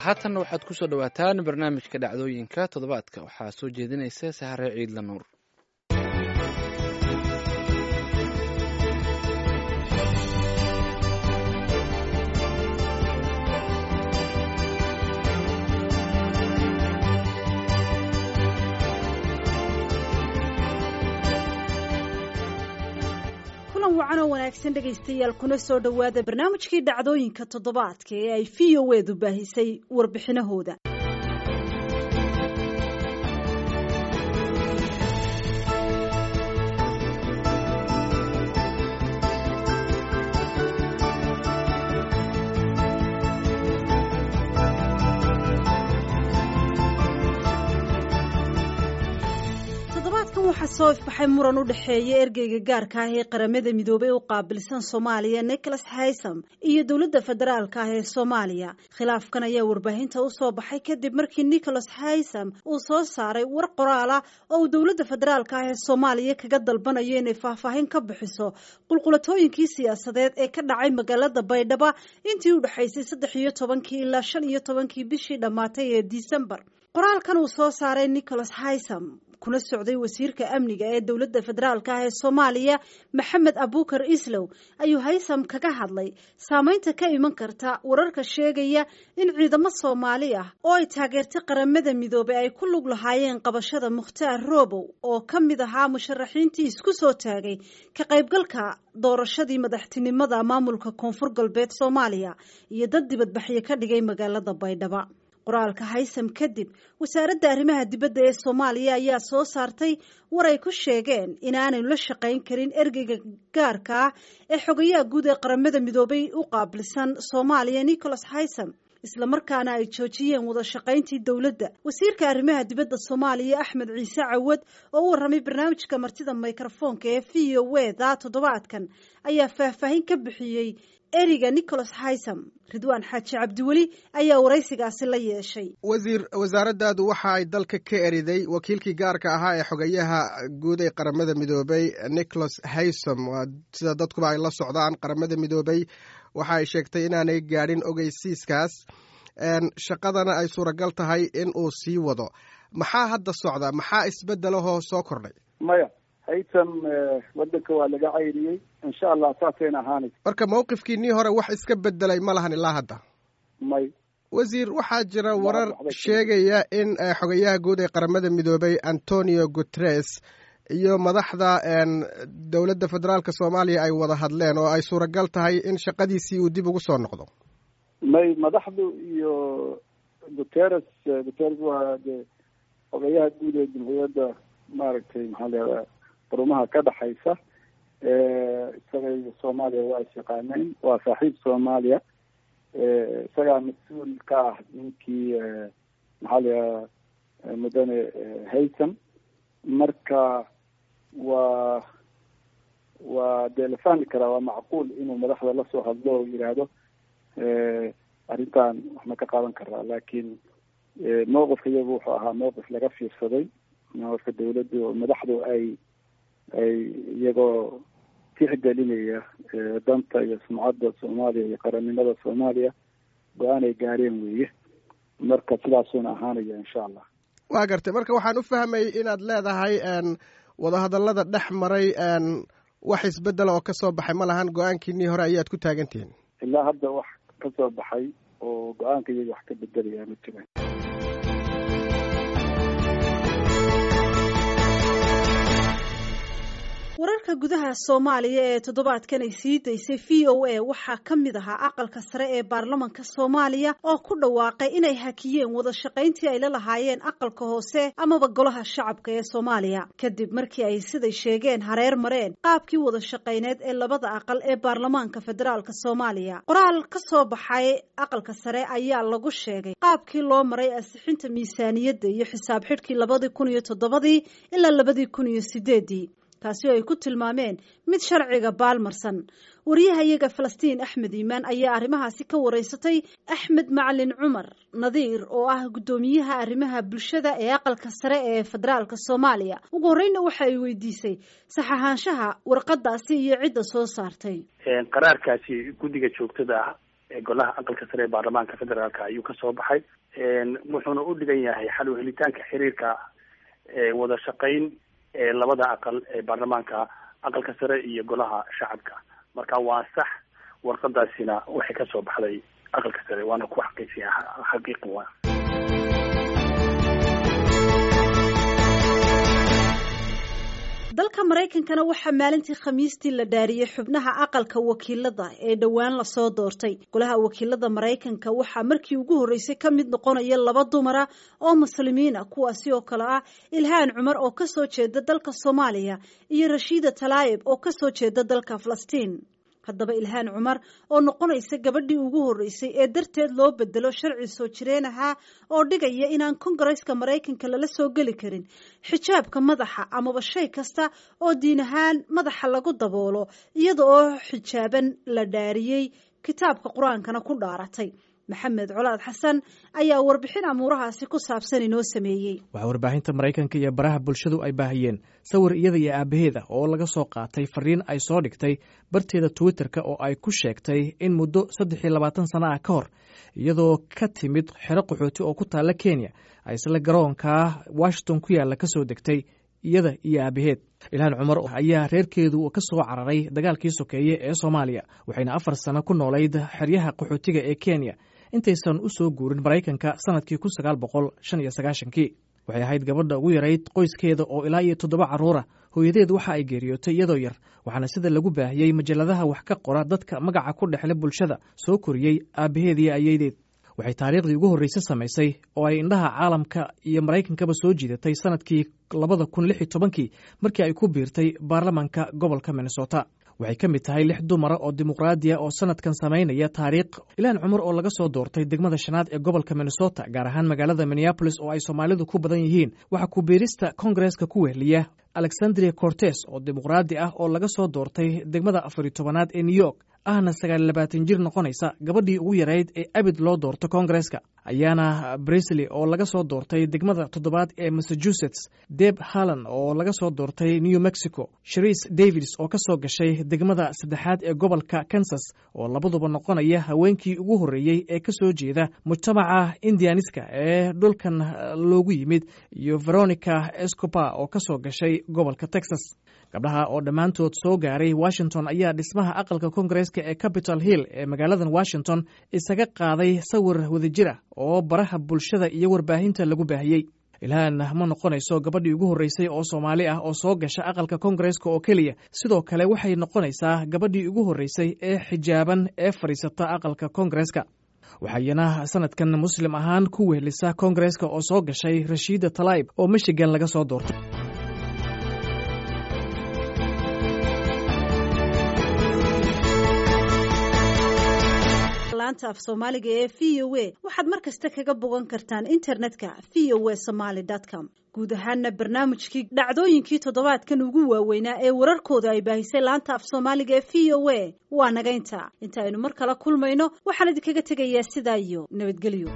Haatanna waxaad ku soo dhowaataan barnaamijka dhacdooyinka toddobaadka. Waxaa soo jeedinaysa Sahare Ciidla Nuur. Kulan wacan oo wanaagsan, dhegaystayaal, kuna soo dhowaada barnaamijkii dhacdooyinka toddobaadka ee ay VOA-du baahisay warbixinahooda. Toddobaadkan waxaa soo ifbaxay muran u dhexeeya ergeyga gaarka ah ee Qaramada Midoobey u qaabilsan Soomaaliya, Nicholas Haysam, iyo dowladda federaalka ah ee Soomaaliya. Khilaafkan ayaa warbaahinta usoo baxay kadib markii Nicholas Haysam uu soo saaray war qoraal ah oo uu dowladda federaalka ah ee Soomaaliya kaga dalbanayo inay faahfaahin ka bixiso qulqulatooyinkii siyaasadeed ee ka dhacay magaalada Baydhaba intii u dhexaysay 13-kii ilaa 15-kii bishii dhammaatay ee Disembar. Qoraalkan uu soo saaray Nicholas Haysam, kuna socday wasiirka amniga ee dowladda federaalka ah ee Soomaaliya, Maxamed Abuukar Islow, ayuu Haysam kaga hadlay saameynta ka iman karta wararka sheegaya in ciidamo Soomaali ah oo ay taageertay Qaramada Midoobey ay ku lug lahaayeen qabashada Mukhtaar Robow, oo ka mid ahaa musharaxiintii isku soo taagay ka qaybgalka doorashadii madaxtinimada maamulka Koonfur Galbeed Soomaaliya, iyo dad dibadbaxyo ka dhigay magaalada Baydhaba. Qoraalka Haysam kadib, wasaaradda arrimaha dibadda ee Soomaaliya ayaa soo saartay war ay ku sheegeen inaanay la shaqayn karin ergeyga gaarka ah ee xogayaha guud ee Qaramada Midoobey u qaabilsan Soomaaliya, Nicholas Haysam, islamarkaana ay joojiyeen wada shaqayntii dowladda. Wasiirka arrimaha dibadda Soomaaliya, Axmed Ciise Cawad, oo u warramay barnaamijka martida mikrofoonka ee VOA da toddobaadkan, ayaa faahfaahin ka bixiyey eriga Nicholas Haysam. Ridwaan Xaaji Cabdiweli ayaa waraysigaasi la yeeshay. Wasiir, wasaaraddaadu waxa ay dalka ka eriday wakiilkii gaarka ahaa ee xogayaha guud ee Qaramada Midoobey, Nicholas Haysom. Waa sida dadkuba ay la socdaan, Qaramada Midoobey waxa ay sheegtay inaanay gaadhin ogeysiiskaas, shaqadana ay suuragal tahay in uu sii wado. Maxaa hadda socda? Maxaa isbeddelahoo soo kordhay? Maya, Haytam wadanka waa laga cayriyey, insha Allah saasayna ahaanaysa. Marka mawqifkiinii hore wax iska bedelay ma lahan ilaa hadda? May. Wasiir, waxaa jira warar sheegaya in xogayaha guud ee Qaramada Midoobey, Antonio Guteres, iyo madaxda dowladda federaalka Soomaaliya ay wada hadleen oo ay suuragal tahay in shaqadiisii uu dib ugu soo noqdo. May, madaxdu iyo Guteres, Guteres waa de xogayaha guud ee Jamhuuriyadda, maaragtay, maxaa leedaha, qurumaha ka dhexaysa. Isaga iyo Soomaaliya waa is yaqaaneen, waa saaxiib Soomaaliya. Isagaa mas-uul ka ah ninkii, maxaa layaha, mudane Haysom. Marka waa dee la fahmi karaa, waa macquul inuu madaxda lasoo hadlo oo yidhaahdo arrintan wax ma ka qaadan karaa, laakiin mowqifka iyagu wuxuu ahaa mowqif laga fiirsaday, mowqifka dawladdu, madaxdu ay iyagoo tixgelinaya danta iyo sumcadda Soomaaliya iyo qarannimada Soomaaliya go-aan ay gaareen weeye. Marka sidaasuuna ahaanaya, insha Allah. Waa gartay. Marka waxaan u fahmay inaad leedahay wadahadallada dhex maray wax isbeddela oo ka soo baxay ma lahan, go-aankiinii hore ayaad ku taagan tihiin. Ilaa hadda wax ka soo baxay oo go-aanka iyaga wax ka bedelaya ma jiraan. Wararka gudaha Soomaaliya ee toddobaadkan ay sii daysay VOA waxaa ka mid ahaa aqalka sare ee baarlamanka Soomaaliya oo ku dhawaaqay inay hakiyeen wada shaqayntii ay la lahaayeen aqalka hoose amaba golaha shacabka ee Soomaaliya, kadib markii ay, siday sheegeen, hareer mareen qaabkii wada shaqayneed ee labada aqal ee baarlamaanka federaalka Soomaaliya. Qoraal ka soo baxay aqalka sare ayaa lagu sheegay qaabkii loo maray ansixinta miisaaniyadda iyo xisaab xidhkii 2007-dii ilaa 2008-dii, taasi oo ay ku tilmaameen mid sharciga baalmarsan. Wariyaha iyaga Falastiin Axmed Iimaan ayaa arrimahaasi ka wareysatay Axmed Macalin Cumar Nadiir, oo ah guddoomiyaha arrimaha bulshada ee aqalka sare ee federaalka Soomaaliya. Ugu horreynna waxa ay weydiisay sax ahaanshaha warqadaasi iyo cidda soo saartay. Qaraarkaasi guddiga joogtada ah Golaha Aqalka Sare ee Baarlamaanka Federaalka ayuu kasoo baxay, wuxuuna u dhigan yahay xal u helitaanka xiriirka wada shaqayn ee labada aqal ee baarlamaanka, Aqalka Sare iyo Golaha Shacabka. Marka waa sax, warqadaasina waxay kasoo baxday Aqalka Sare, waana ku xaqiijiya, xaqiiqi waa. Dalka Maraykankana waxaa maalintii Khamiistii la dhaariyey xubnaha Aqalka Wakiilada ee dhowaan lasoo doortay. Golaha Wakiilada Maraykanka waxaa markii ugu horreysay ka mid noqonaya laba dumara oo Muslimiina, kuwaasi oo kale ah Ilhaan Cumar oo kasoo jeeda dalka Soomaaliya iyo Rashiida Talaayib oo kasoo jeeda dalka Falastiin. Haddaba Ilhaan Cumar oo noqonaysa gabadhii ugu horreysay ee darteed loo bedelo sharci soo jireen ahaa oo dhigaya inaan Kongareska Maraykanka lala soo geli karin xijaabka madaxa amaba shay kasta oo diin ahaan madaxa lagu daboolo, iyada oo xijaaban la dhaariyey, kitaabka Qur-aankana ku dhaaratay. Maxamed Colaad Xasan ayaa warbixin amuurahaasi ku saabsan inoo sameeyey. Waxaa warbaahinta Maraykanka iyo baraha bulshadu ay baahiyeen sawir iyada iyo aabaheeda oo laga soo qaatay fariin ay soo dhigtay barteeda Twitterka oo ay ku sheegtay in muddo 23 sano ah ka hor, iyadoo ka timid xero qaxooti oo ku taalla Kenya, ay isla garoonka Washington ku yaalla ka soo degtay iyada iyo aabaheed. Ilhaan Cumar ayaa reerkeedu ka soo cararay dagaalkii sokeeye ee Soomaaliya, waxayna 4 sano ku noolayd xeryaha qaxootiga ee Kenya intaysan u soo guurin Maraykanka sanadkii 1995-kii. Waxay ahayd gabadha ugu yarayd qoyskeeda oo ilaa iyo toddoba carruura. Hooyadeed waxa ay geeriyootay iyadoo yar, waxaana sida lagu baahiyey majalladaha wax ka qora dadka magaca ku dhexle bulshada soo koriyey aabaheed iyo ayeydeed. Waxay taariikhdii ugu horreysay samaysay oo ay indhaha caalamka iyo Maraykankaba soo jiidatay sanadkii 2016-kii, markii ay ku biirtay baarlamanka gobolka Minnesota. Waxay ka mid tahay lix dumara oo dimuqraadiya oo sanadkan samaynaya taariikh. Ilhaan Cumar oo laga soo doortay degmada shanaad ee gobolka Minnesota, gaar ahaan magaalada Minneapolis oo ay Soomaalidu ku badan yihiin, waxaa ku biirista Kongareska ku wehliya Alexandria Cortes oo dimuqraadi ah oo laga soo doortay degmada 14aad ee New York, ahna 29 jir, noqonaysa gabadhii ugu yarayd ee abid loo doorto Kongareska, ayaana Brisley oo laga soo doortay degmada toddobaad ee Massachusetts, Deb Hallan oo laga soo doortay New Mexico, Sharice Davids oo ka soo gashay degmada saddexaad ee gobolka Kansas, oo labaduba noqonaya haweenkii ugu horreeyey ee ka soo jeeda mujtamaca Indianiska ee dhulkan loogu yimid, iyo Veronica Escopa oo ka soo gashay gobolka Texas. Gabdhaha oo dhammaantood soo gaaray Washington ayaa dhismaha aqalka Kongareska ee Capitol Hill ee magaaladan Washington isaga qaaday sawir wadajir ah oo baraha bulshada iyo warbaahinta lagu baahiyey. Ilhaan ma noqonayso gabadhii ugu horreysay oo Soomaali ah oo soo gasha aqalka Kongareska oo keliya, sidoo kale waxay noqonaysaa gabadhii ugu horreysay ee xijaaban ee fadhiisata aqalka Kongareska. Waxayna sanadkan Muslim ahaan ku wehelisa Kongareska oo soo gashay Rashiida Talaib oo Michigan laga soo doortay. Laanta af Soomaaliga ee VOA waxaad mar kasta kaga bogan kartaan internetka voasomali.com. Guud ahaana barnaamijkii dhacdooyinkii toddobaadkan ugu waaweynaa ee wararkooda ay baahisay laanta af Soomaaliga ee VOA waa nagaynta. Inta aynu mar kala kulmayno, waxaan idinkaga tegayaa sidaa iyo nabadgelyo.